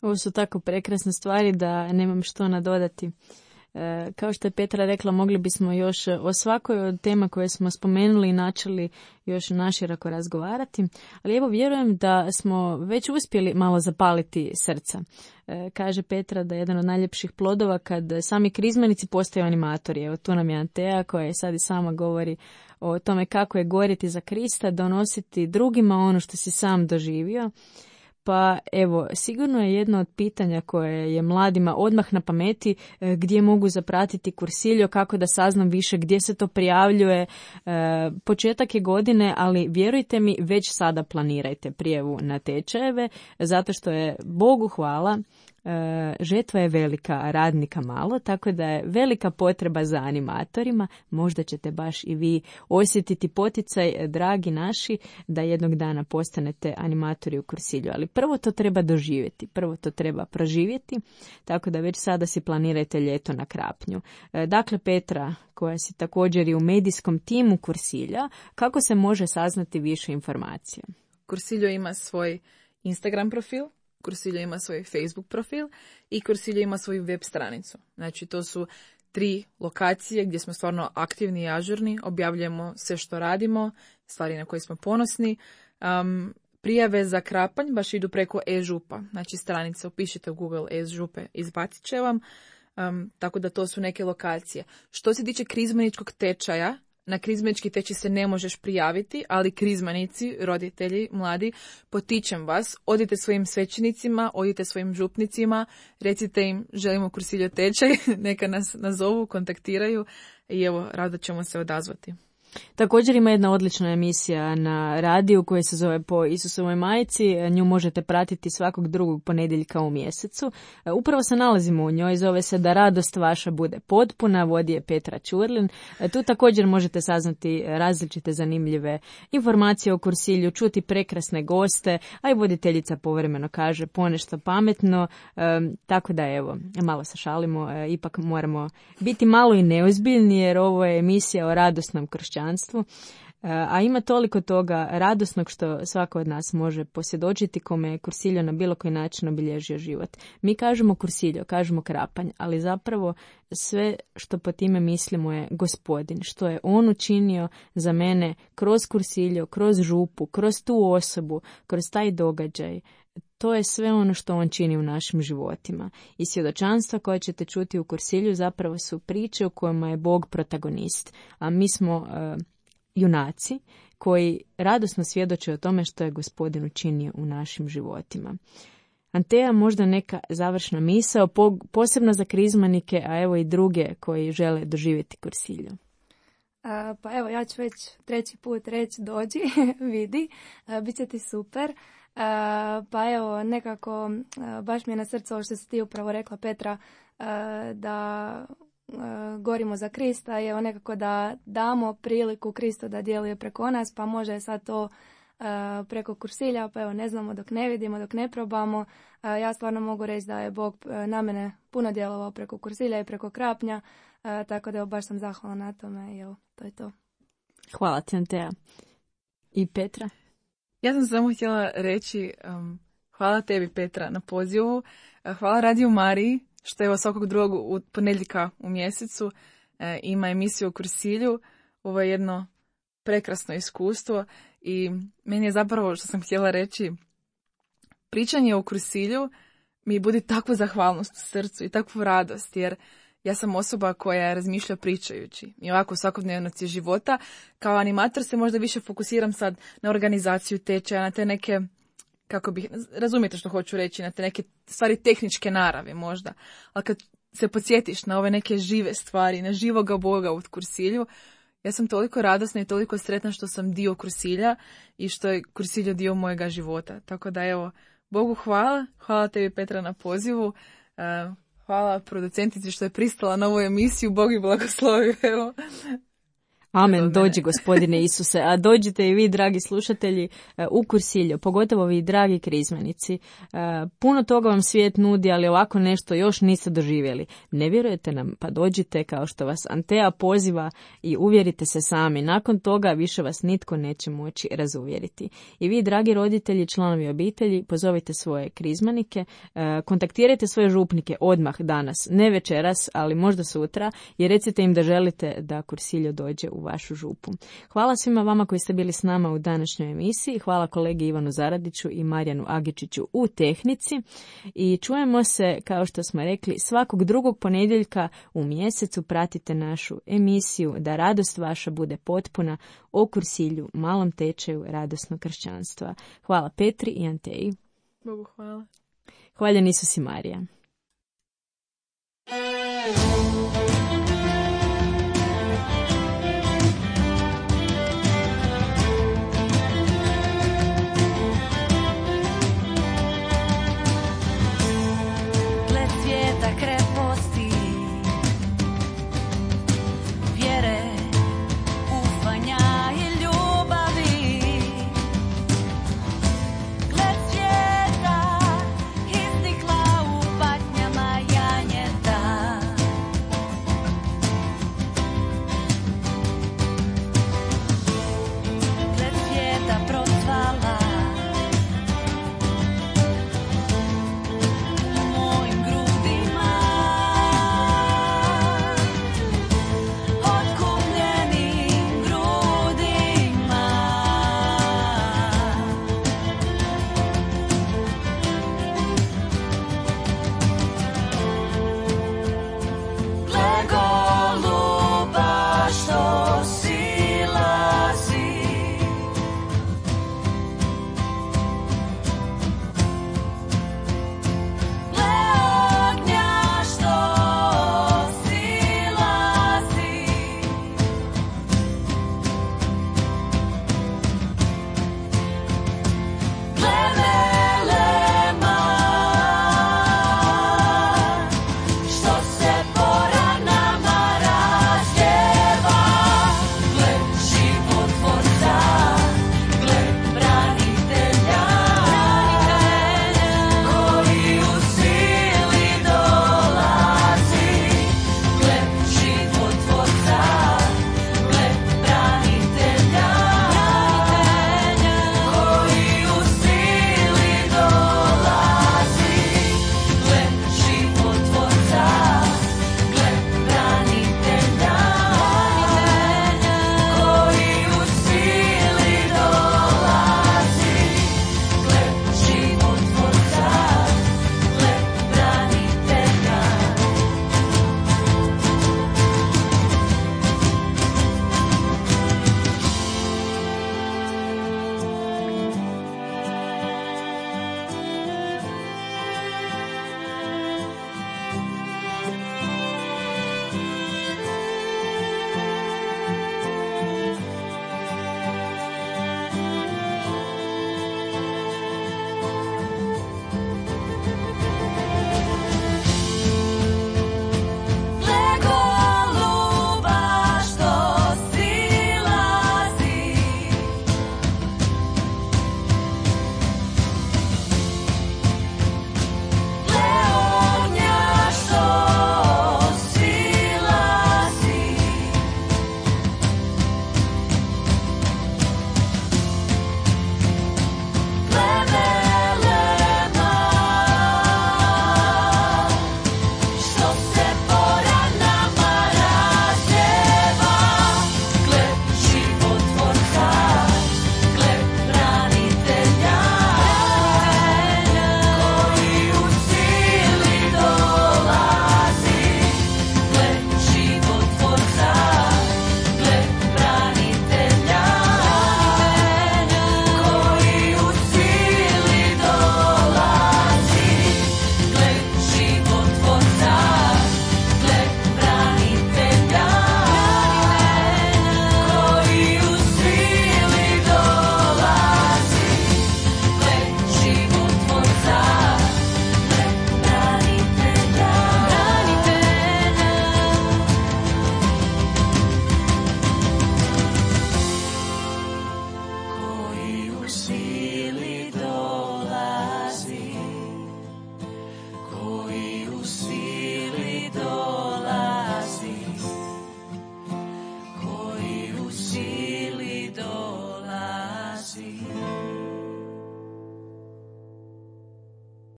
Ovo su tako prekrasne stvari da nemam što nadodati. E, kao što je Petra rekla, mogli bismo još o svakoj od tema koje smo spomenuli i načeli još naširoko razgovarati, ali evo vjerujem da smo već uspjeli malo zapaliti srca. E, kaže Petra da je jedan od najljepših plodova kad sami krizmenici postaju animatori. Evo tu nam je Antea koja je sad i sama govori o tome kako je gorjeti za Krista, donositi drugima ono što si sam doživio. Pa evo, sigurno je jedno od pitanja koje je mladima odmah na pameti gdje mogu zapratiti Cursillo, kako da saznam više gdje se to prijavljuje. E, početak je godine, ali vjerujte mi, već sada planirajte prijavu na tečajeve, zato što je, Bogu hvala, E, žetva je velika, a radnika malo, tako da je velika potreba za animatorima. Možda ćete baš i vi osjetiti poticaj, dragi naši, da jednog dana postanete animatori u Cursillu. Ali prvo to treba doživjeti, prvo to treba proživjeti, tako da već sada si planirajte ljeto na Krapnju. E, dakle, Petra, koja si također i u medijskom timu Cursilla, kako se može saznati više informacija? Cursillo ima svoj Instagram profil, Cursillo ima svoj Facebook profil i Cursillo ima svoju web stranicu. Znači, to su tri lokacije gdje smo stvarno aktivni i ažurni, objavljujemo sve što radimo, stvari na koje smo ponosni. Um, prijave za Krapanj baš idu preko e-župa, znači stranica, upišite u Google e-župe, izbacit će vam, um, tako da to su neke lokacije. Što se tiče krizmaničkog tečaja, na krizmanički tečaj se ne možeš prijaviti, ali krizmanici, roditelji, mladi, potičem vas, odite svojim svećenicima, odite svojim župnicima, recite im želimo Cursillo tečaj, neka nas nazovu, kontaktiraju i evo, rado ćemo se odazvati. Također ima jedna odlična emisija na radiju koja se zove Po Isusovoj majici. Nju možete pratiti svakog drugog ponedjeljka u mjesecu. Upravo se nalazimo u njoj, zove se Da radost vaša bude potpuna, vodi je Petra Ćurlin. Tu također možete saznati različite zanimljive informacije o Cursillu, čuti prekrasne goste, a i voditeljica povremeno kaže ponešto pametno, e, tako da evo, malo se šalimo, e, ipak moramo biti malo i neozbiljni jer ovo je emisija o radosnom kršćanstvu. A ima toliko toga radosnog što svako od nas može posvjedočiti kome je Cursillo na bilo koji način obilježio život. Mi kažemo Cursillo, kažemo Krapanj, ali zapravo sve što po time mislimo je Gospodin, što je on učinio za mene kroz Cursillo, kroz župu, kroz tu osobu, kroz taj događaj. To je sve ono što on čini u našim životima. I svjedočanstva koje ćete čuti u Cursillu zapravo su priče u kojima je Bog protagonist. A mi smo uh, junaci koji radosno svjedoče o tome što je Gospodin učinio u našim životima. Antea, možda neka završna misao, po, posebno za krizmanike, a evo i druge koji žele doživjeti Cursillo. A, pa evo, ja ću već treći put reći dođi, vidi, a, bit će ti super. Uh, pa evo, nekako uh, baš mi je na srcu ovo što si ti upravo rekla, Petra, uh, da uh, gorimo za Krista i evo nekako da damo priliku Kristu da djeluje preko nas, pa može sad to uh, preko Cursilla, pa evo ne znamo dok ne vidimo, dok ne probamo. Uh, ja stvarno mogu reći da je Bog uh, na mene puno djelovao preko Cursilla i preko Krapnja, uh, tako da evo baš sam zahvalna na tome i evo, to je to. Hvala ti, Antea. I Petra? Ja sam samo htjela reći um, hvala tebi, Petra, na pozivu. Uh, hvala Radio Mariji, što je svakog drugog u ponedjeljka u mjesecu uh, ima emisiju o Cursillu. Ovo je jedno prekrasno iskustvo i meni je zapravo, što sam htjela reći, pričanje o Cursillu mi budi takvu zahvalnost u srcu i takvu radost, jer ja sam osoba koja razmišlja pričajući i ovako u svakodnevnosti života. Kao animator se možda više fokusiram sad na organizaciju tečaja, na te neke, kako bih, razumijete što hoću reći, na te neke stvari tehničke narave možda. Ali kad se podsjetiš na ove neke žive stvari, na živoga Boga u Cursillu, ja sam toliko radosna i toliko sretna što sam dio Cursilla i što je Cursillo dio mojega života. Tako da evo, Bogu hvala, hvala tebi, Petra, na pozivu. Uh, Hvala producentici što je pristala na ovu emisiju, Bog i blagoslovi. Evo. Amen, dođi gospodine Isuse, a dođite i vi, dragi slušatelji, u Cursillo, pogotovo vi, dragi krizmenici. Puno toga vam svijet nudi, ali ovako nešto još niste doživjeli. Ne vjerujete nam, pa dođite kao što vas Antea poziva i uvjerite se sami. Nakon toga više vas nitko neće moći razuvjeriti. I vi, dragi roditelji, članovi obitelji, pozovite svoje krizmanike, kontaktirajte svoje župnike odmah danas, ne večeras, ali možda sutra, i recite im da želite da Cursillo dođe u vašu župu. Hvala svima vama koji ste bili s nama u današnjoj emisiji. Hvala kolegi Ivanu Zaradiću i Marijanu Agičiću u tehnici. I čujemo se, kao što smo rekli, svakog drugog ponedjeljka u mjesecu. Pratite našu emisiju Da radost vaša bude potpuna o Cursillu, malom tečaju radosnog kršćanstva. Hvala Petri i Anteji. Bogu hvala. Hvaljen Isus i Marija.